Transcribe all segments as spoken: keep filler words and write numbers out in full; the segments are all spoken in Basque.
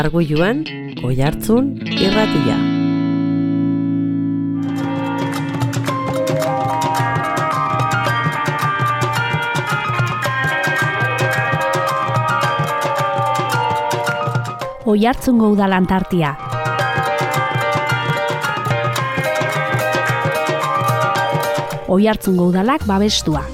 Arguiluan, Oihartzun irratia. Oihartzungo udalan tartia. Oihartzungo udalak babestua.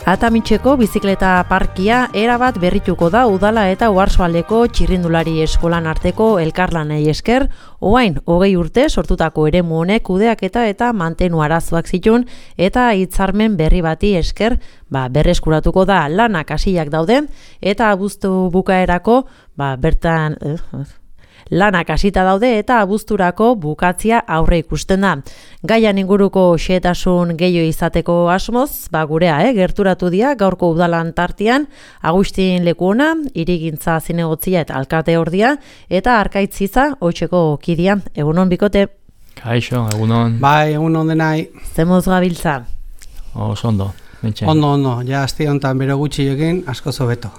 Atamitxeko bizikleta parkia erabat berrituko da udala eta Oarsoaldeko txirrindulari eskolan arteko elkarlanei esker, orain hogei urte sortutako eremu honek kudeaketa eta mantenu arazoak zituen eta hitzarmen berri bati esker, ba, berreskuratuko da lanak hasiak daude eta abuztu bukaerako, ba, bertan eh, lanak hasita daude eta abuzturako bukatzia aurre ikusten da. Gaian inguruko xehetasun gehiago izateko asmoz, ba gurea, eh, gerturatu dira gaurko udalan tartean Agustin Lekuona, hirigintza zinegotzia eta alkate ordia, eta Arkaitziza hoitzeko kidia. Egunon bikote. Kaixo, egunon. Bai, egunon denai. Zemoz gabiltza? Oso ondo. Mentxe. Ondo, ondo, ja azte honetan bero gutxi egin, asko zobeto.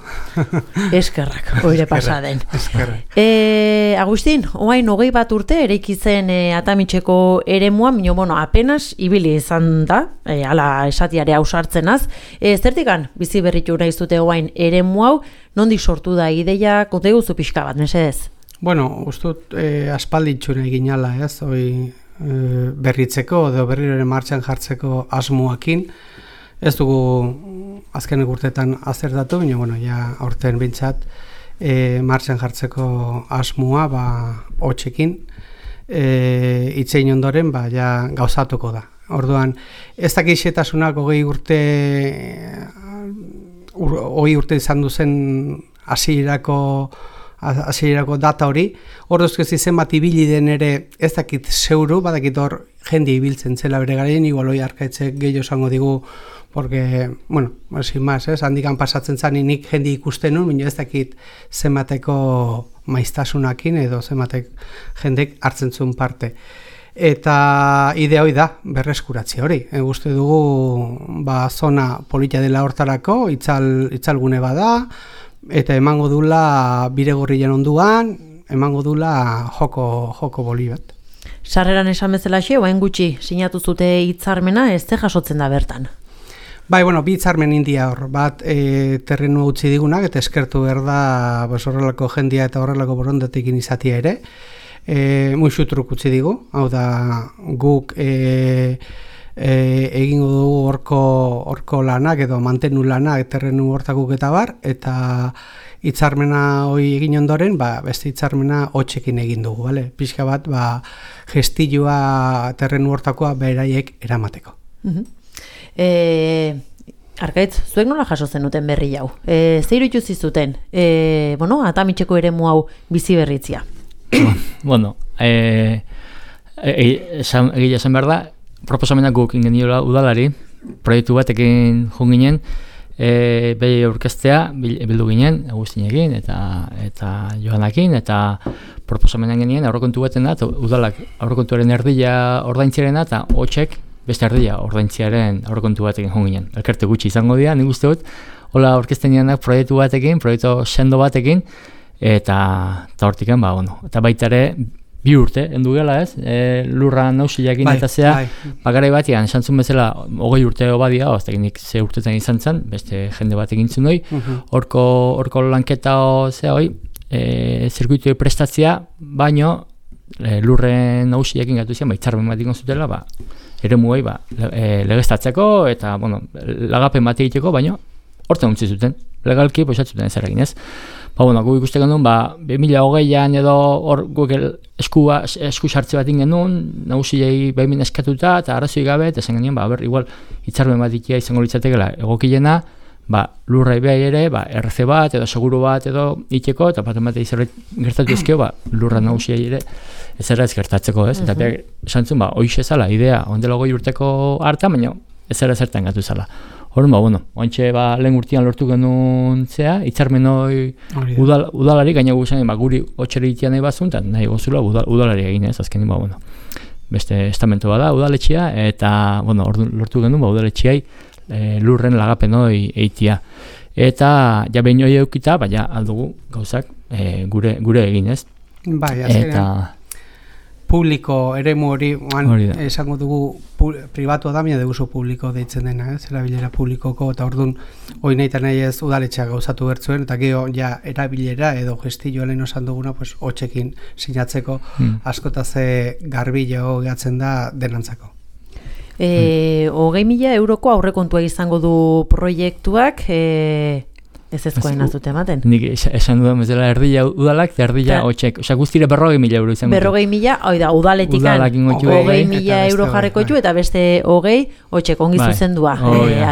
Eskerrak, oire pasaden. Eskerrak. E, Agustin, oain hogei bat urte ereikitzen e, Atamitxeko eremua, minio, bueno, apenas ibili izan da, e, ala esatiare hausartzenaz. E, zertikan, bizi berritu nahi zute oain eremu hau, nondik sortu da ideia, konta eguzu pixka bat, mesedez? Bueno, ustut e, aspalditxune egin ala, ez, oi, e, berritzeko, edo berriroren martxan jartzeko asmoakin. Ez dugu azkenek urteetan azertatu, baina bueno, ja aurten bintzat e, martxan jartzeko asmoa ba, hotxekin e, itzein ondoren ba, ja gauzatuko da. Orduan, ez dakixetasunak hogei urte hogei urte izan duzen hasierako hasierako data hori, hor dozko zizen bat ibili den ere ez dakit zeuru, badakit hor jende ibiltzen zela bere garaien, igual hoi Arkaitzek gehiago esango digu, porque, bueno, sin más, ez, handikan pasatzen zan nik jende ikusten nun, baina ez dakit zenbateko maiztasunakin edo zenbatek jendek hartzen zuen parte. Eta idea hori da, berreskuratzea hori. E, uste dugu, ba, zona politia dela hortarako, itzal, itzalgune bada, eta emango dula bidegorrien onduan, emango dula joko, joko boli bat. Sarreran esan bezala xe, oain gutxi sinatu zute hitzarmena, ez ze jasotzen da bertan? Bai, bueno, bi hitzarmen india hor, bat e, terrenu utzi digunak, eta eskertu behar da bos, horrelako jendia eta horrelako borondatekin izatia ere. E, Muixutruk utzi digu, hau da guk e, e, egingo dugu horko, horko lanak edo mantenu lanak terrenu hortakuk eta bar, eta hitzarmena hoi egin ondoren, ba, beste hitzarmena hotxekin egin dugu, bale? Pixka bat, ba, gestilloa terrenu hortakoa beraiek eramateko. Uh-huh. E, Arkaitz, zuek nola jaso zenuten berri hau? E, Zeiru ituzi zuten, e, bueno, Atamitxeko eremu hau bizi berritzia? Bueno, e, e, esan, egia esan behar da, proposamenak guk ingeniola udalari, proiektu batekin jun ginen, e, behi aurkeztea bildu ginen, Agustinekin eta, eta Joanakin, eta proposamenak genien aurrekontu baten da, udalak aurrekontuaren erdia ordaintzerena, eta hotxek beste erdia ordaintziaren aurrekontu batekin jun ginen. Elkarte gutxi izango dira, nik uste dut, hola aurkezten dianak proiektu batekin, proiektu sendo batekin, eta eta hortikan, ba, bueno, eta baita ere, bi urte, endu gela ez, e, lurra nausiakin bai, eta zea, bai. Bagarai batean, esantzun bezala, hogei urte badia, oztak nik ze urtetan izan zen, beste jende batekin zuen hoi, horko uh-huh. lanketa o, zea hoi, e, zirkuitui prestatzea, baino, e, lurren nausiakin gatu zian, ba, hitzarmen bat ikon zutela, ba, ere mugai, ba, e, legeztatzeko, eta, bueno, lagapen bat egiteko, baino, horten untzi zuten, legalki, poisatzuten ez eragin ez. Ba, bueno, guk ikusten genuen, ba, bi mila hogeian edo hor guk esku, esku sartze bat genuen, nagusiei behimin eskatuta eta arrazoi gabe, eta esan genuen, ba, ber, igual, hitzarmen bat ikia izango litzatekela egokilena, ba, lurrai behar ere, ba, R C bat edo seguru bat edo iteko, eta bat emate izerret gertatu ezkeo, ba, lurra nagusiei ere, ez erra ez gertatzeko, ez? Uh-huh. Eta behar, esan zuen, ba, hoixe zala, idea, ondela goi urteko harta, baina ez erra zertan gatu zala. Horren, ba, bueno, oantxe, ba, lehen urtean lortu genuen zea, hitzarmen hori udal, udalari, gaina guzen, ba, guri hotxere itian nahi bazun, eta nahi gozula udal, udalari egin ez, azkenin, ba, bueno. beste estamento bada udaletxea, eta bueno, ordu, lortu genuen ba, udaletxeai e, lurren lagapen hori eitia. Eta ja behin hori eukita, baina aldugu gauzak e, gure, gure egin, ez? Bai, azkenean publiko eremu hori, esango dugu pribatua da, mina deguzo publiko deitzen dena, ez? Erabilera publikoko, eta orduan hori nahi eta nahi ez udaletxeak gauzatu bertzuen, eta gero ja erabilera edo gestilloa lehen osan duguna, pues, hotxekin sinatzeko hmm. askotaze garbilo gehatzen da denantzako. E, hogei mila euroko aurrekontua izango du proiektuak, e, ez ezkoen azute ematen. Nik esan dudan bezala erdila udalak, erdila hotxek. Osa guztire berrogei mila euro izango. Berrogei mila, oida, udaletikan hogei mila euro jarreko etxu, eta beste hogei hotxek ongi zuzendua.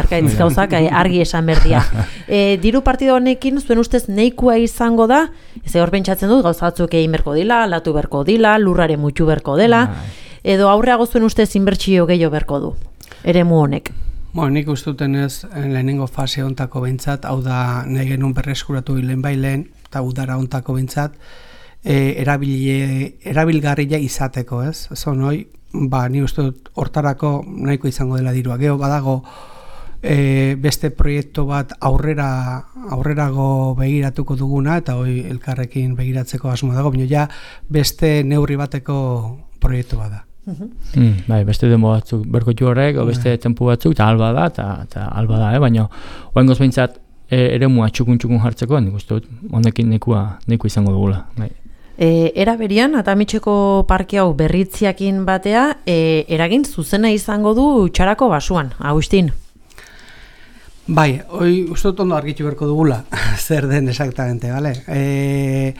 Arkaitz gauzak argi esan berdia. E, diru partido honekin, zuen ustez neikua izango da, ez hor pentsatzen dut, gauzatzuk egin berko dila, latu berko dila, lurrare mutxu berko dela, edo aurreago zuen ustez inbertsio gehiago berko du, eremu honek. Bueno, nik ustuten ez lehenengo fase ontako behintzat, hau da nahi genuen berreskuratu lehen bailen, eta udara ontako behintzat, e, erabile, erabilgarria izateko, ez? Zon hoi, ba, ni uste dut hortarako nahiko izango dela dirua. Gero badago e, beste proiektu bat aurrera aurrerago begiratuko duguna, eta hoi elkarrekin begiratzeko asmo dago, baina ja beste neurri bateko proiektu bada. Mm, bai, beste demo batzuk berkotxu horrek, o beste tempu batzuk, eta alba da, eta alba da, eh? Baina oengoz behintzat e, ere mua txukun-txukun jartzeko, nik uste dut, honekin nekua, nekua izango dugula. Bai. E, era berian, Atamitxeko parke hau berritziakin batea, e, eragin zuzena izango du Txarako basuan, Agustin? Bai, hoi uste dut ondo argitu berko dugula, zer den exactamente, bale? E,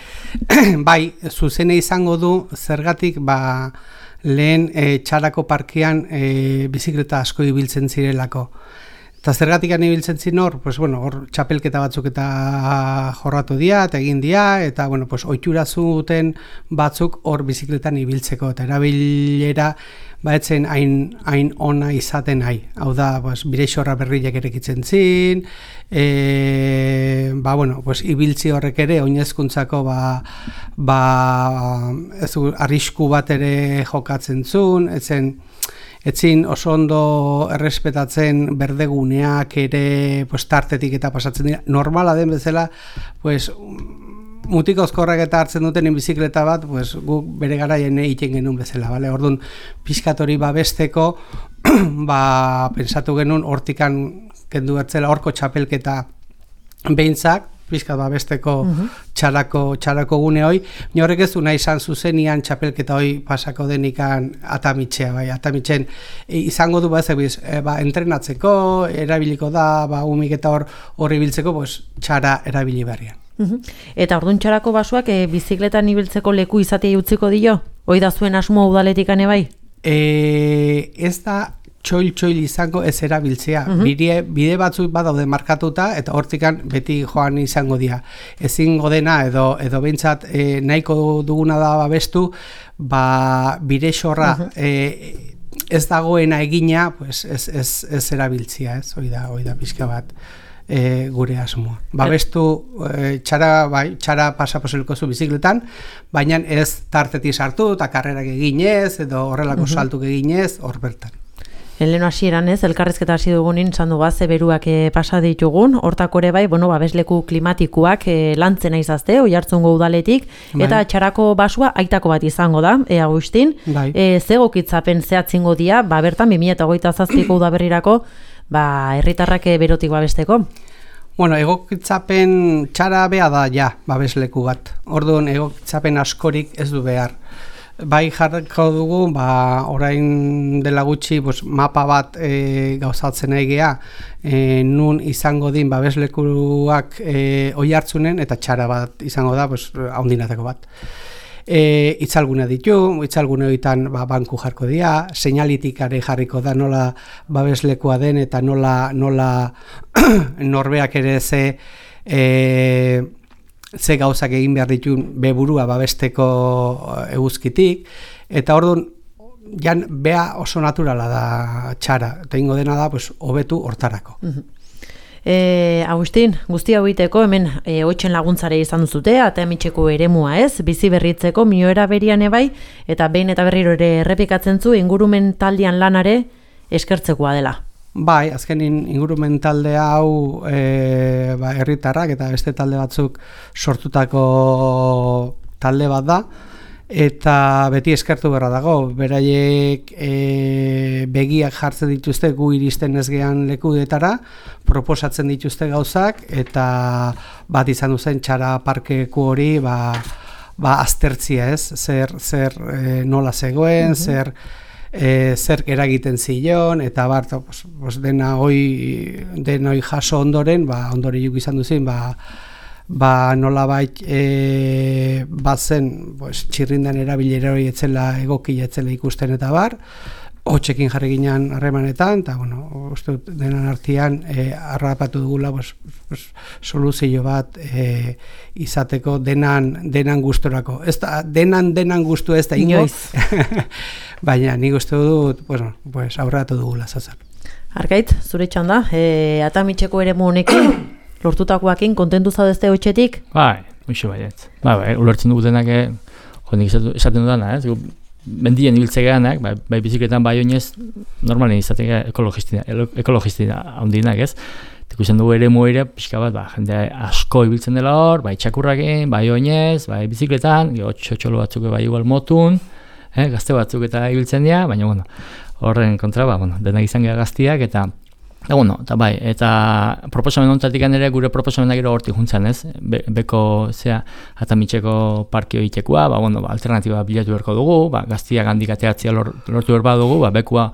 bai, zuzena izango du, zergatik, ba, lehen e, Txarako parkean e, bizikleta asko ibiltzen zirelako. Eta zergatik ibiltzen ziren hor, pues, bueno, hor txapelketa batzuk eta jorratu dira, eta egin dira, eta bueno, pues, ohitura zuten batzuk hor bizikletan ibiltzeko, eta erabilera baetzen hain, hain ona izaten nahi. Hau da, pues, bireixorra berriak erekitzen zin, e, ba, bueno, pues, ibiltzi horrek ere, oinezkuntzako, ba, ba, ez, arrisku bat ere jokatzen zuen, etzen, etzin oso ondo errespetatzen berdeguneak ere, pues, tartetik eta pasatzen dira. Normala den bezala, pues, mutiko ozkorrak eta hartzen duten bizikleta bat, pues, guk bere garaien egiten genuen bezala, bale? Orduan, pixkatori babesteko, ba, pensatu genuen hortikan kendu bertzela horko txapelketa behintzak, pizkat babesteko uh-huh. txarako, txarako gune hoi, horrek ez du nahi izan zuzenian txapelketa hoi pasako denikan Atamitxea, bai, Atamitzen e, izango du ba, ez, e, ba, entrenatzeko, erabiliko da, ba, umik eta hor horri biltzeko, pues, txara erabili berrian. Uh-huh. Eta orduan Txarako basuak e, bizikletan ibiltzeko leku izatea utziko dio? Hoi da zuen asmo udaletikane bai? E, ez da txoil-txoil izango ez erabiltzea. Uh-huh. Bide, bide batzuk badaude markatuta eta hortikan beti joan izango dira. Ezingo dena edo edo behintzat e, nahiko duguna da babestu, ba bide xorra uh-huh. e, ez dagoena egina, pues ez, ez, ez erabiltzea, ez? Hoi da, hoi da pixka bat e, gure asmoa. Babestu e, txara, bai, txara pasaposelko zu bizikletan, baina ez tartetik sartu eta karrerak eginez edo horrelako uh-huh. saltuk eginez hor bertan. Lehen hasieran ez, elkarrizketa hasi dugunin, zandu baze beruak e, pasa ditugun, hortako ere bai, bueno, babesleku klimatikoak e, lantzen aizazte, Oiartzungo udaletik, bai. Eta Txarako basua aitako bat izango da, e, Agustin, bai. e, zegokitzapen zehatzingo dia, ba, bertan, bi mila hogeita zazpiko udaberrirako, ba, herritarrak berotik babesteko. Bueno, egokitzapen txara bea da, ja, babesleku bat. Orduan, egokitzapen askorik ez du behar. Bai jarriko dugu, ba, orain dela gutxi pues, mapa bat e, gauzatzen nahi geha, e, nun izango din babeslekuak e, Oiartzunen eta Txara bat izango da, pues, haundinatako bat. E, itzalgune ditu, itzalgune horietan ba, banku jarko dira, seinalitikare jarriko da nola babeslekua den eta nola, nola norbeak ere ze... E, ze gauzak egin behar ditun beburua babesteko eguzkitik, eta orduan jan bea oso naturala da Txara, eta ingo dena da pues, hobetu hortarako. Uh-huh. E, Agustin, guzti hau iteko hemen e, oitxen laguntzare izan duzute, Atamitxeko eremua ez, bizi berritzeko mioera berian ebai, eta behin eta berriro ere errepikatzen zu ingurumen taldean lanare eskertzekoa dela. Bai, azkenin ingurumen talde hau e, ba, herritarrak eta beste talde batzuk sortutako talde bat da, eta beti eskertu beharra dago, beraiek e, begiak jartzen dituzte gu iristen ez gehan lekudetara, proposatzen dituzte gauzak, eta bat izan duzen txara parkeku hori ba, ba aztertzia ez, zer, zer e, nola zegoen, mm-hmm. zer E, zer eragiten zion, eta bar, pues, pues dena hoi denoi jaso ondoren, ba, ondoriuk izan duzin, ba, ba nolabait e, bazen pues, txirrindan erabilera hori etzela egoki etzela ikusten eta bar, hotxekin jarri ginen harremanetan, eta bueno, uste dut denan artean e, harrapatu dugula pues, pues, soluzio bat e, izateko denan, denan gustorako. Ez da, denan denan gustu ez da ingo, baina nik uste dut pues, pues, aurratu dugula zazan. Arkait, zure txanda, e, Atamitxeko eremu honekin, lortutakoakin, kontentu zaudezte hotxetik? Bai, muixo baiet. Bai, bai, ulertzen dugu denak, jonik esaten dudana, ez? Mendien ibiltzeganak, bai, bai bizikletan bai oinez, normalen izatega ekologistina, ekologistina handinak, ez? Ikusten dugu ere moire, pixka bat, ba, jende asko ibiltzen dela hor, bai txakurrakin, bai oinez, bai bizikletan, txotxolo batzuk bai igual motun, eh, gazte batzuk eta ibiltzen dira, baina, bueno, horren kontra, ba, bueno, denak izan gara gaztiak, eta Eta, bueno, eta bai, eta proposamen honetatik ere gure proposamenak gero hortik juntzan, ez? Be, beko, zea, Atamitxeko parkio egitekoa, ba, bueno, ba, alternatiba bilatu beharko dugu, ba, gaztiak handik ateatzea lor, lortu behar dugu, ba, bekua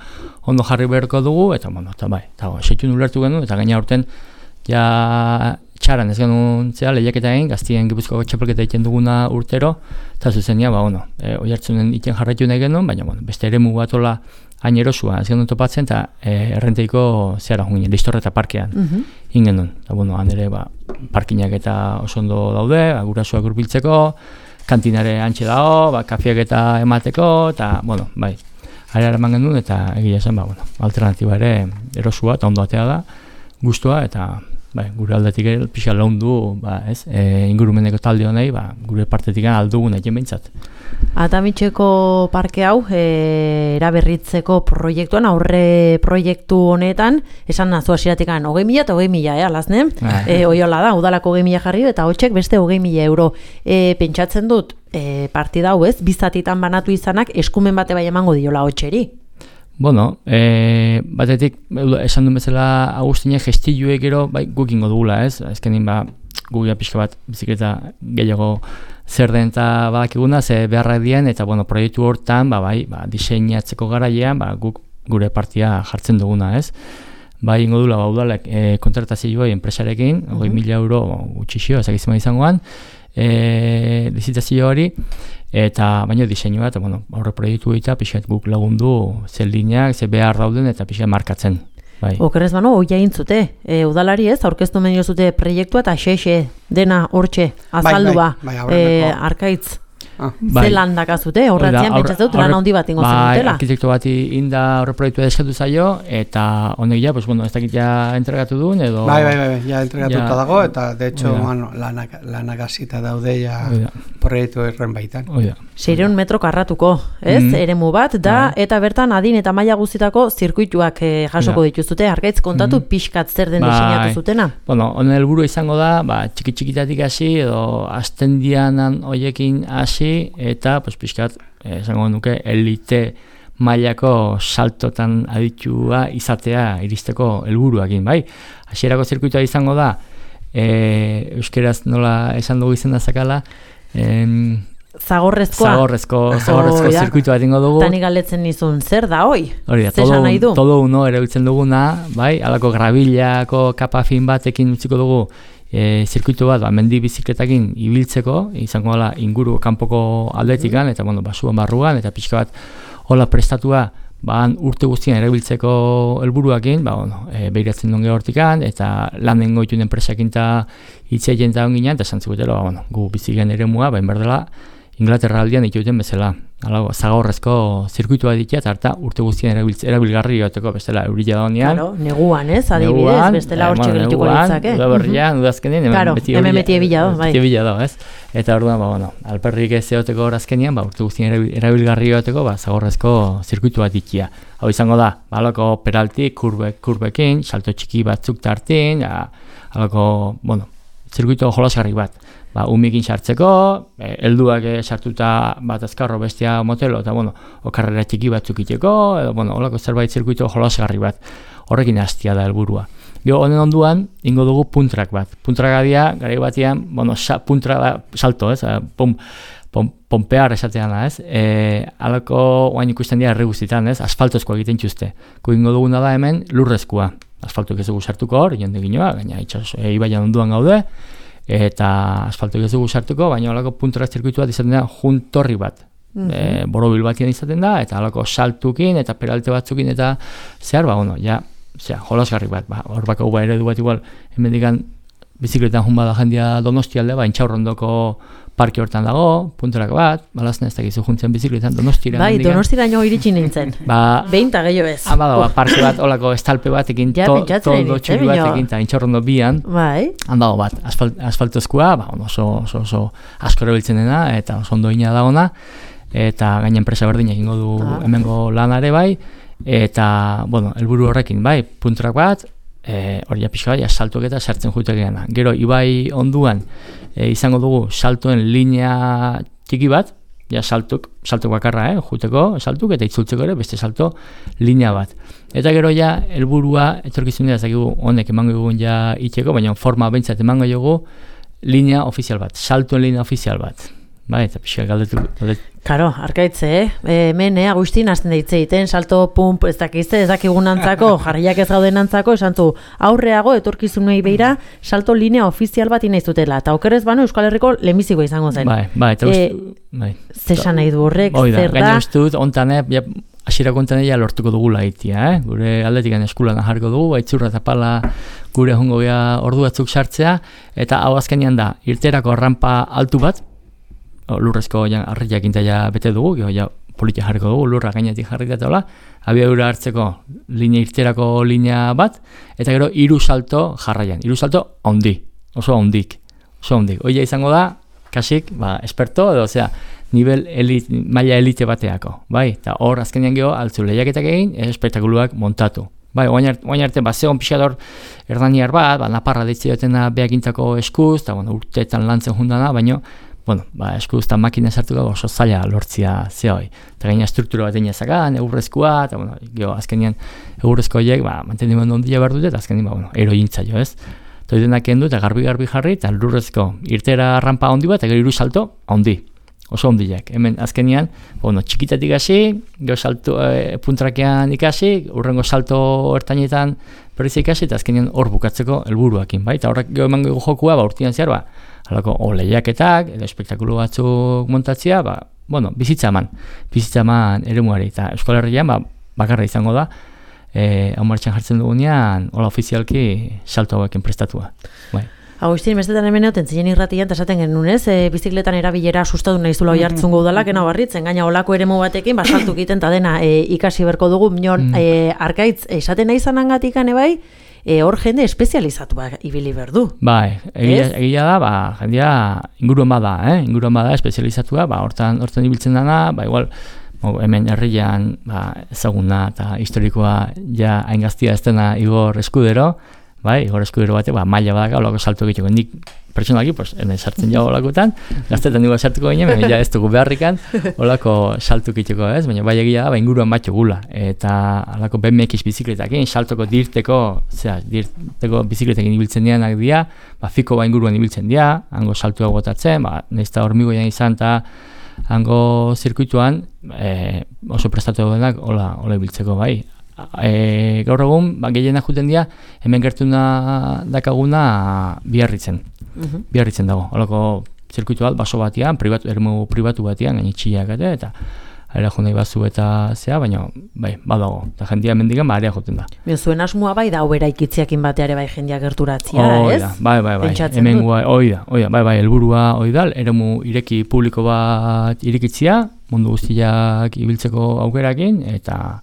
ondo jarri beharko dugu, eta, bueno, eta bai, eta setxun ulertu genuen, eta gaina urten, ja, txaran ez genuen, zea, lehiaketa egin, gaztien Gipuzkoako txapelketa egiten duguna urtero, eta zuzenia, ba, bueno, e, oi hartzunen iten jarraitu nahi genuen, baina, bueno, beste eremu batola hain erosua, ez genuen topatzen, eta e, errenteiko zehara junginen, Listorreta parkean mm-hmm. ingenuen. Eta, bueno, han ere, ba, parkinak eta oso ondo daude, ba, gurasoak hurbiltzeko, kantinare antxe dago, ba, kafiak eta emateko, eta, bueno, bai, ari eman genuen, eta egia zen, ba, bueno, alternatiba ere erosua, eta ondo atea da, gustua, eta, bai, gure aldetik ere pixka laundu, ba, ez, e, ingurumeneko talde honei, ba, gure partetik aldugun egin behintzat. Atamitxeko parke hau e, eraberritzeko proiektuan, aurre proiektu honetan, esan nazu hasieratikan hogei mila eta hogei mila, eh, alazne? E, oiola da, udalako hogei mila jarri eta hotxek beste hogei mila euro. E, pentsatzen dut, e, partida hau ez, bizatitan banatu izanak eskumen bate bai emango diola hotxeri. Bueno, e, batetik, esan duen bezala Agustinek gestiluek gero, bai, gukingo dugula, ez? Ezkenin, ba, gugia pixka bat bizikleta gehiago zer den eta badakiguna, ze beharrak dien, eta bueno, proiektu hortan, ba, bai, ba, diseinatzeko garailean, ba, guk gure partia jartzen duguna, ez? Bai, ingo dula, ba, udalek e, kontratazioa enpresarekin, hogei mila euro gutxixio, ezagizima izangoan, e, lizitazio hori, eta baino diseinua, eta bueno, aurre proiektu eta pixkat guk lagundu zer lineak, zer behar dauden, eta pixkat markatzen. Bai. Okerrez bano, hoi jaintzute, e, udalari ez, aurkeztu menio zute proiektua eta xe-xe dena hortxe azaldu ba, bai, bai, e, Arkaitz. Ah. Bai. Ze lan dakazute, horretzean pentsatzen dut lan handi bat ingo zen dutela. Bai, arkitekto bati inda horre proiektua eskatu zaio, eta honek ja, pues, bueno, ez dakit ja entregatu duen, edo... Bai, bai, bai, ja entregatuta ja, dago, eta de hecho, bueno, lanak, lanak azita daude ja proiektu erren baitan. Seireun metro karratuko, ez, mm. eremu bat, da, bai. Eta bertan adin eta maila guztitako zirkuituak eh, jasoko ja. Dituzute, Arkaitz kontatu mm. pixkat zer den bai. Diseinatu zutena. Bueno, honen helburu izango da, ba, txiki-txikitatik hasi, edo astendianan hoiekin hasi, eta pues pixkat, eh, esango nuke, elite mailako saltotan aditua izatea iristeko helburuakin, bai? Hasierako zirkuitua izango da, e, euskeraz nola esan dugu izena zakala, em, Zagorrezkoa. Zagorrezko, zagorrezko oh, zirkuitu bat ingo dugu. Tani galetzen nizun, zer da, hoi? Hori da, todo, un, todo uno erabiltzen duguna, bai? Halako grabillako kapa fin batekin utziko dugu, E, zirkuitu bat, ba, mendi bizikletakin ibiltzeko, izango dela inguru kanpoko aldetikan, eta bueno, basuan barruan, eta pixka bat hola prestatua, ba, urte guztien erabiltzeko helburuakin, ba, bueno, e, behiratzen duen gehortikan, eta lanen goitun enpresakin eta hitzeien eta onginean, eta esan zigutelo, ba, bueno, gu bizigen eremua, ba, inberdela, Inglaterra aldian dituten bezala. Hala, zagorrezko zirkuitua ditia, eta harta urte guztien erabiltz, erabilgarri joteko bestela eurila da honean. Claro, neguan, ez, adibidez, neguan, bestela hor txigilituko litzake. Neguan, udaberrian, udazkenean, hemen claro, beti hemen beti ebila do, bai. Beti ebila do, ez? Eta orduan, ba, bueno, alperrik ez eoteko horazkenean, ba, urte guztien erabilgarri joteko, ba, zagorrezko zirkuitua ditia. Hau izango da, ba, alako peralti, kurbe, kurbekin, salto txiki batzuk tartin, ja, alako, bueno, zirkuito jolasgarri bat. Ba, umikin sartzeko, e, helduak e, sartuta bat azkarro bestia motelo, eta bueno, okarrera txiki batzuk iteko, edo bueno, holako zerbait zirkuito jolasgarri bat. Horrekin hastia da helburua. Gero honen onduan, ingo dugu puntrak bat. Puntrak adia, garai batean, bueno, sa, puntra da, salto, ez, pom, pom, pompear esatean da, ez, e, alako oain ikusten dira herri guztietan, ez, asfaltozkoa egiten txuzte. Ko ingo duguna da hemen lurrezkoa. Asfaltok ez dugu sartuko hor, jonde ginoa, gaina itxas, e, ibaian onduan gaude, eta asfaltok ez dugu sartuko, baina holako puntora zirkuitu bat izaten da juntorri bat. Mm-hmm. E, borobil batian izaten da, eta holako saltukin, eta peralte batzukin, eta zehar, ba, bueno, ja, zehar, jolasgarri bat, ba, hor bako ba eredu bat igual, hemen digan, bizikletan jun bada jendia Donostialde, ba, Intxaurrondoko parke hortan dago, puntorak bat, balazne ez dakizu juntzen bizikletan Donostira. Bai, Donostiraino iritsi nintzen. Ba, behin ta gehiago ez. Ama da, ba, parke bat, olako estalpe bat ekin, ja, to, toldo txuri bat ekin, eta Intxaurrondo bian. Bai. Handago bat, asfalt, asfaltozkoa, ba, oso, oso, oso asko erabiltzen dena, eta oso ondo ina da ona, eta gaina enpresa berdin egingo du ah. hemengo lanare bai, eta, bueno, helburu horrekin, bai, puntorak bat, E, hori ja pixka bai, saltuak eta sartzen jutekeena. Gero, ibai onduan e, izango dugu saltoen linea txiki bat, ja saltuk, saltuk bakarra, eh, juteko saltuk eta itzultzeko ere beste salto linea bat. Eta gero ja, helburua etorkizun dira, zakigu honek emango dugun ja itxeko, baina forma behintzat emango dugu linea ofizial bat, saltoen linea ofizial bat. Bai, eta pixka galdetu. Karo, arkaitze, eh? Hemen, eh, Agustin, azten deitze egiten, salto, pump, ez dakizte, ez dakigun antzako, jarriak ez gauden antzako, esan du, aurreago, etorkizunei beira, salto linea ofizial bat inaiztutela, eta okerez bano Euskal Herriko lehenbiziko izango zen. Bai, bai, eta e, ustu, bai. Zesan nahi du horrek, zer da? Gaina uste dut, ontan, eh, ja, hasierako ontan ja lortuko dugula itia, eh? Gure aldetik eskulan jarriko dugu, baitzurra eta pala gure jongo gea ordu batzuk sartzea, eta hau azkenean da, irterako rampa altu bat, lurrezko harriak intaia bete dugu, gero ja politia jarriko dugu, lurra gainetik jarri datola, abiadura hartzeko linea irterako linea bat, eta gero hiru salto jarraian, hiru salto ondi, oso ondik, oso ondik. Hoia izango da, kasik, ba, esperto, edo, osea, nivel elit, maila elite bateako, bai, eta hor azkenean gero altzu lehiaketak egin, espektakuluak montatu. Bai, oain arte, ba, zegoen pixador erdaniar bat, ba, naparra deitze dutena behakintzako eskuz, eta, bueno, urteetan lantzen jundana, baino, bueno, ba, eskuz eta makina sartuko oso zaila lortzia zehoi. Eta gaina struktura bat egin ezakan, egurrezkoa, eta, bueno, geho, azkenean egurrezko horiek, ba, mantendimendu ondia behar dute, eta azkenean, ba, bueno, erointza jo, ez? Eta denak kendu, eta garbi-garbi jarri, eta lurrezko irtera rampa ondi bat, eta gero hiru salto, ondi. Oso ondiak. Hemen azkenean, bueno, txikitatik hasi, gero salto, e, puntrakean ikasi, urrengo salto ertainetan berriz ikasi, eta azkenean hor bukatzeko helburuakin, bai? Eta horrek gero emango jokua, ba, urtean zehar, ba, halako, o lehiaketak, edo espektakulu batzuk montatzea, ba, bueno, bizitza eman, bizitza eman eremuari, eta Euskal Herrian, ba, bakarra izango da, e, hau martxan jartzen dugunean, hola ofizialki salto hauekin prestatua, bai. Agustin, bestetan hemen egoten ziren irratian, eta esaten genuen ez, e, bizikletan erabilera sustatu nahi zula oihartzungo udalak, ena barritzen, gaina olako eremu batekin, basaltu egiten, eta dena e, ikasi berko dugu, minon, mm. e, arkaitz, esaten nahi zanangatik ane bai, e, hor jende espezializatu ba, ibili berdu. Bai, egia, egia da, ba, jendea inguruan bada, eh? inguruan bada espezializatua, ba, hortan, hortan ibiltzen dana, ba, igual, hemen herrian ba, ezaguna eta historikoa ja haingaztia ez dena Igor Eskudero, bai, Igor Eskudero bate, ba, maila badaka, olako salto egiteko. Nik pertsonalki, pues, hemen sartzen jau olakotan, gaztetan nigo sartuko ginen, baina ja ez dugu beharrikan, olako salto egiteko, ez? Baina bai egia da, ba, inguruan batxo gula. Eta olako B M X bizikletakin, saltoko dirteko, zera, dirteko bizikletekin ibiltzen dianak dira, ba, fiko ba inguruan ibiltzen dira, hango saltua gotatzen, ba, nahizta hormigoian izan, eta hango zirkuituan e, oso prestatu denak, hola, hola ibiltzeko, bai. E, gaur egun, ba, gehienak juten dira, hemen gertuna dakaguna biarritzen. Uh-huh. Biarritzen dago. Holako zirkuitu bat, baso batian, pribatu, eremu pribatu batian, gainitxiak eta, eta aera jo nahi bazu eta zea, baina bai, badago, eta jendia mendigan ba, area joten da. Bien, zuen asmoa bai da obera ikitziakin bateare bai jendia gerturatzia, Hoi ez? da, bai, bai, bai, Pentsatzen hemen dut. gua, hoi da, hoi da, bai, bai, helburua hoi da, eremu ireki publiko bat irekitzia, mundu guztiak ibiltzeko aukerakin, eta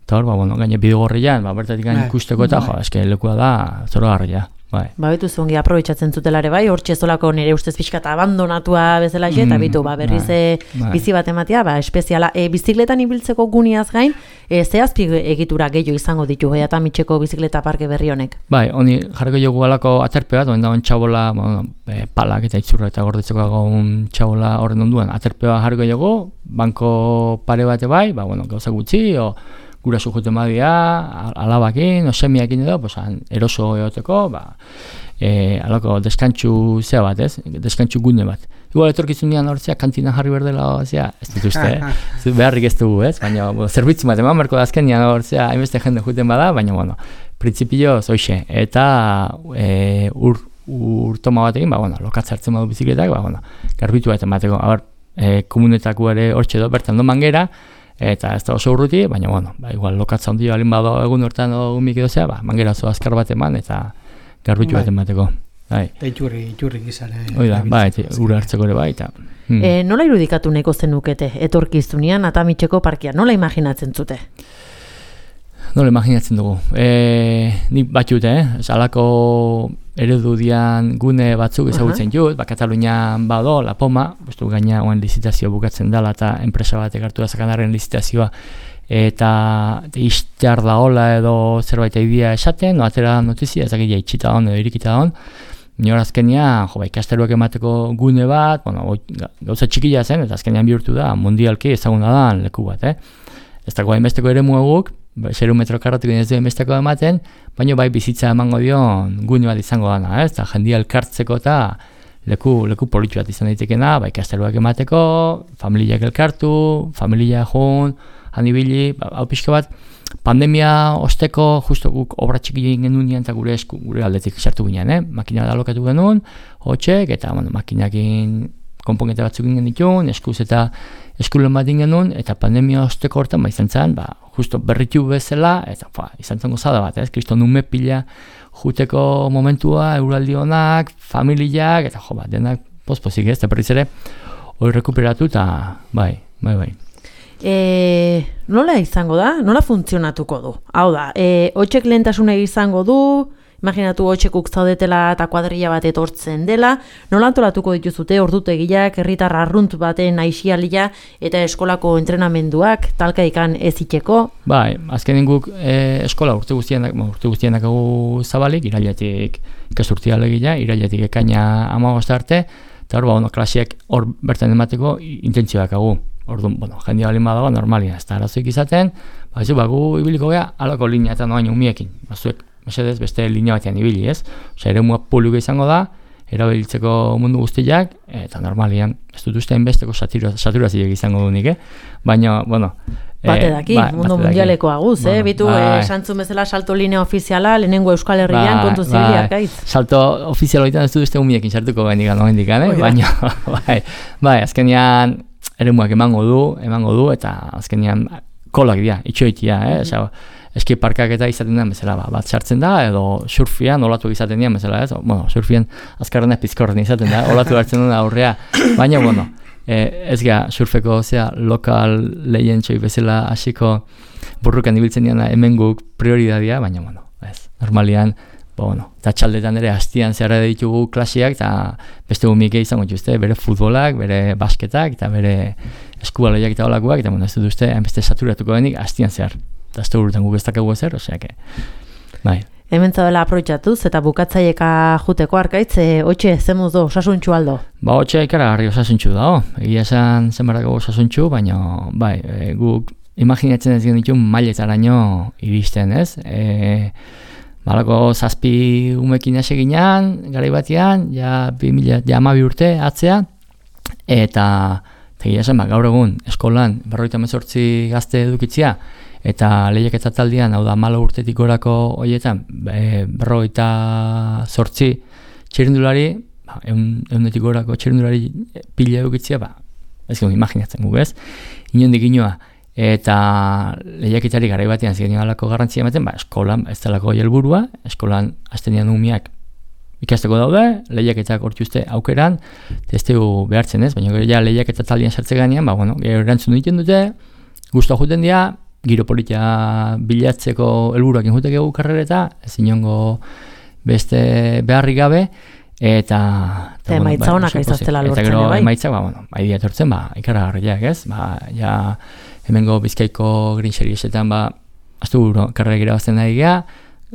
eta hor, ba, bueno, gaine bidegorrian, ba, bertatik gain Bai, ikusteko eta, jo, eske lekua da, zoragarria, bai. Ba, betu zongi aprobetxatzen zutelare bai, hor txezolako nire ustez pixka eta abandonatua bezala xe, eta Mm, bitu, ba, berriz bai, e, bai. bizi bat ematea, ba, espeziala. E, bizikletan ibiltzeko guniaz gain, e, ze azpi egitura gehiago izango ditu, eta mitxeko bizikleta parke berri honek. Bai, honi jarriko jogu alako aterpe bat, oen dagoen txabola, bueno, e, palak eta itzurra eta gordetzeko dagoen txabola horren onduan, aterpe bat jarriko jogu, banko pare bate bai, ba, bueno, gauza gutxi, o gura sujuten badia, alabakin, o semiakin edo, pues, eroso egoteko, ba, e, alako deskantxu zea bat, ez? Deskantxu gune bat. Igual etorkizunean hortzea kantina jarri berdela, zea, ez dituzte, eh? Beharrik ez dugu, ez? Baina, bueno, zerbitzu bat, eman berko da azkenean hortzea, hainbeste jende juten bada, baina, bueno, printzipio zoixe. Eta e, ur, urtoma batekin, ba, bueno, lokatza hartzen badu bizikletak, ba, bueno, garbitu bat emateko, abar, e, komunetako ere hortxe do, bertan do mangera, eta ez da oso urruti, baina, bueno, ba, igual lokatza ondio alin bado egun hortan umik edo zea, ba, mangera zo azkar bat eman, eta garbitu bat emateko. Bai. Eta itxurri, itxurri gizare. Hoi da, bai, ura hartzeko ere bai, eta... Hmm. E, nola irudikatu nahiko zenukete etorkizunean Atamitxeko parkia, nola imaginatzen zute? Nola imaginatzen dugu. E, nik batxut, eh? Alako eredu dian gune batzuk ezagutzen uh -huh. jut, ba, Katalunian bado, La Poma, bostu gaina oen lizitazio bukatzen dela eta enpresa batek hartu da sakanarren lizitazioa, eta iztear da hola edo zerbait idea esaten, no, atera notizia, ez dakit itxita hon edo irikita hon, nire azkenean, jo, ba, ikasteruak emateko gune bat, bueno, gauza txikila zen, eta azkenean bihurtu da, mundialki ezaguna da leku bat, eh? Ez dago hainbesteko ere muaguk, zero metro karratik ez du hainbesteko ematen, baina bai bizitza emango dion gune bat izango dana, ez? Eta jendia elkartzeko eta leku, leku politxu bat izan daitekena, ba, ikasteruak emateko, familiak elkartu, familia jun, hanibili, ba, hau pixka bat, pandemia osteko, justo guk obra txiki egin genuen eta gure esku, gure aldetik sartu ginen, eh? Makina da alokatu genuen, hotxek, eta bueno, makinakin konponketa batzuk ginen ditun, eskuz eta eskulen bat genuen, eta pandemia osteko hortan, ba, izan zen, ba, justo berritu bezala, eta fa, izan zen gozada bat, ez? Kristo nume pila juteko momentua, euraldi honak, familiak, eta jo, ba, denak pospozik ez, eta berriz ere, hori rekuperatu, eta bai, bai, bai. E, nola izango da? Nola funtzionatuko du? Hau da, e, hotxek lehentasuna izango du, imaginatu hotxekuk zaudetela eta kuadrilla bat etortzen dela, nola antolatuko dituzute ordutegiak, herritar arrunt baten aixialia eta eskolako entrenamenduak, talkaikan eziteko? Bai, azkenen guk e, eskola urte guztienak, urte guztienak egu zabalik, irailetik ikasturtia alegia, irailetik ekaina hamabost arte, eta hor, ba, ono, klasiak hor bertan emateko intentzioak egu. Orduan, bueno, jendia balin badago, normalia, ez da arazoik izaten, ba, ez, ba, gu ibiliko gea, alako linea eta noain umiekin, bazuek, mesedez, beste linea batean ibili, ez? Osa, ere mua publiko izango da, erabiltzeko mundu guztiak, eta normalian, ez dut ustean besteko saturazioak izango dunik, eh? Baina, bueno... Bate daki, eh, mundu ba, mundialeko aguz, bueno, eh? Bitu, bai. eh, santzun bezala salto linea ofiziala, lehenengo Euskal Herrian, bai, kontu zibiliak bai. gaiz. Salto ofizial horietan ez dut uste umiekin sartuko bendikan, no bendikan, eh? Oh, ja. Baina, bai, bai, azkenean, eremuak emango du, emango du, eta azkenean kolak dira, itxoitia, eh? Osea, eski parkak eta izaten den bezala, ba, bat sartzen da, edo surfian olatu izaten dian bezala, ez? Bueno, surfian azkarrena pizkorren izaten da, olatu hartzen den aurrea, baina, bueno, eh, ez ga, surfeko, zea, lokal lehientxoi bezala hasiko burrukan ibiltzen diana hemen guk prioridadia, baina, bueno, ez, normalian, bueno, eta txaldetan ere hastian zehara ditugu klasiak, eta beste gumike izango dituzte, bere futbolak, bere basketak, eta bere eskubaloiak eta olakoak, eta bueno, ez dut uste, hainbeste saturatuko denik hastian zehar. Eta ez da urten guk ez dakagu ezer, oseak, bai. Hemen zaudela aprobetxatuz eta bukatzaieka juteko arkaitz, e, hotxe, zemuz do, osasuntxu aldo? Ba, hotxe ikaragarri osasuntxu da, oh. Egia esan zenbarako osasuntxu, baina, bai, e, guk imaginatzen ez genitun mailetaraino iristen, ez? E, Balako zazpi umekin aseginan, garai batean, ja bi mila hamabi urte atzea, eta egia esan, ba, gaur egun eskolan berrogeita hemezortzi gazte edukitzea, eta lehiaketa taldean, hau da malo urtetik gorako horietan, e, berrogeita zortzi txirrindulari, ba, eun, eunetik gorako txirrindulari pila edukitzea, ba, ez gero imaginatzen guk ez. inondik inoa. Eta lehiaketari garai batean ziren alako garrantzia ematen, ba, eskolan ez delako helburua, eskolan aztenean umiak ikasteko daude, lehiaketak hortuzte aukeran, testeu behartzen ez, baina gero ja lehiaketa taldean sartze ganean, ba, bueno, gero erantzun egiten dute, guztua juten dira, giro politia bilatzeko helburuak injuteke gu karrereta, ez inongo beste beharrik gabe, eta... Eta emaitza honak aizaztela lortzen, eta gero bai? emaitza, ba, bueno, bai etortzen, ba, ikaragarriak ez, ba, ja, hemengo Bizkaiko Green Seriesetan, ba, aztu karrera gira bazten da egia,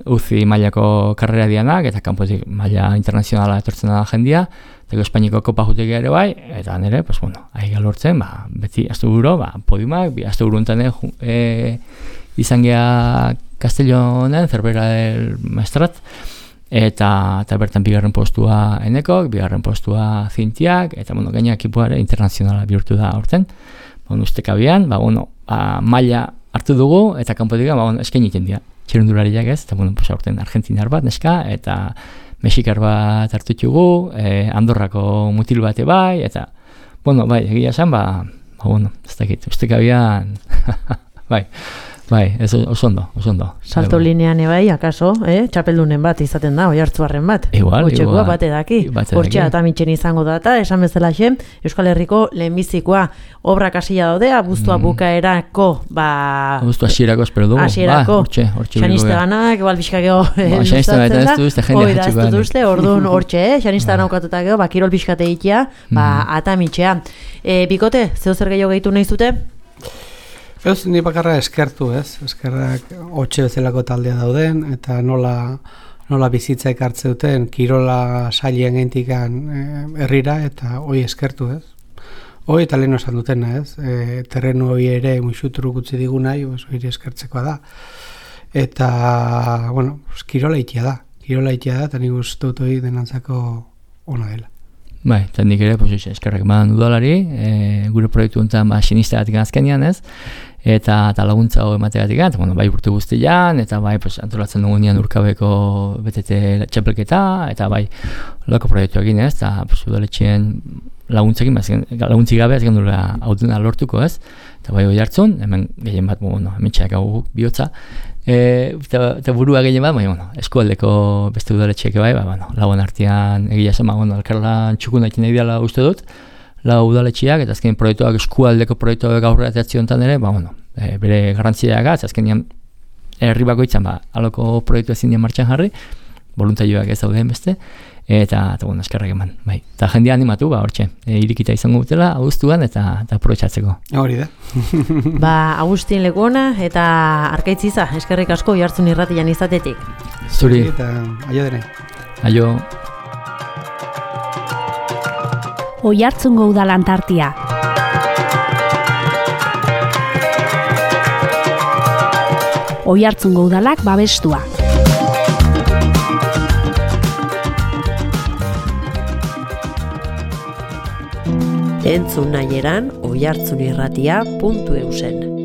uzi mailako karrera dianak, eta kanpotik maila internazionala etortzen da jendia, eta Espainiko kopa jutek ere bai, eta nire, pues bueno, ahi lortzen, ba, beti aztu buro, ba, podiumak, bi aztu buru enten e, izan geha Castellonen, Cervera del Maestrat, eta, eta bertan bigarren postua enekok, bigarren postua zintiak, eta bueno, gaina ekipuare internazionala bihurtu da horten, bon, ustekabian, ba, bueno, ba, maila hartu dugu, eta kanpotik, ba, bueno, eskain iten dira. Txirundulariak ez, eta bueno, pues, aurten argentinar bat, neska, eta mexikar bat hartutxugu, eh, Andorrako mutil bate bai, eta, bueno, bai, egia esan, ba, ba bueno, ez dakit, ustekabian, bai, bai, ez oso ondo, oso ondo. Salto linean ebai, akaso, eh? Txapeldunen bat izaten da, Oiartzuarren bat. Igual, Otxekoa igual. bate daki. Hortxe atamitxen izango da, eta esan bezala xe, Euskal Herriko lehenbizikoa obrak hasila daude, abuztua mm. bukaerako, ba... Abuztua hasierako espero dugu. Hasierako. Ba, hortxe, hortxe. Xaniste ganak, igual bizkakeo ba, xaniste ganak ez du, ez da jende hatxuko da. Duzte, orduan hortxe, eh? Xaniste ganak ukatutak ba, kirol bizkate ikia, ba, mm. atamitxea. E, bikote, zeu zer gehiago gehitu nahi zute? Ez, ni bakarra eskertu, ez? Eskerrak hotxe bezalako taldea dauden, eta nola, nola bizitza ekartze duten, kirola sailien geintikan herrira, eta hoi eskertu, ez? Hoi eta lehen osan dutena, ez? E, terrenu hoi ere muixuturu gutzi digu nahi, hori eskertzekoa da. Eta, bueno, kirola itia da. Kirola itia da, eta nik uste dut hori denantzako ona dela. Bai, eta nik ere, pues, eskerrak eman udalari, e, gure proiektu honetan ba, sinistagatik azkenean ez, eta, eta laguntza hau emategatik, eta bueno, bai urte guztian, eta bai pues, antolatzen dugunean urkabeko betete txapelketa, eta bai lako proiektu egin ez, eta pues, udaletxeen laguntzekin, laguntzik gabe ez gendula hautena lortuko ez, eta bai hori hartzun, hemen gehien bat, bueno, hemen txeak hau bihotza, E, eta, eta burua gehien bat, baina, bueno, eskualdeko beste udaletxeak bai, ba, bueno, lauan artean egia zen, ba, bueno, elkarlan txukun daikin nahi dela uste dut, lau udaletxeak, eta azken proiektuak, eskualdeko proiektuak aurrera teatzi honetan ere, ba, bueno, e, bere garrantziak gaz, azken herri bakoitzan, ba, aloko proiektu ezin dien martxan jarri, voluntarioak ez dauden beste, eta, eta bueno, eskerrak eman, bai. Eta jendea animatu, ba, hortxe, e, irikita izango dutela, abuztuan, eta, eta aprobetxatzeko. Hori da. Ba, Agustin Lekona eta Arkaitziza, eskerrik asko Oiartzun irratian izatetik. Zuri. Eta aio dene. Aio. Oiartzungo Udal Antartia. Oiartzungo Udalak babestua. Entzun nahi eran oiartzunirratia puntu eusen.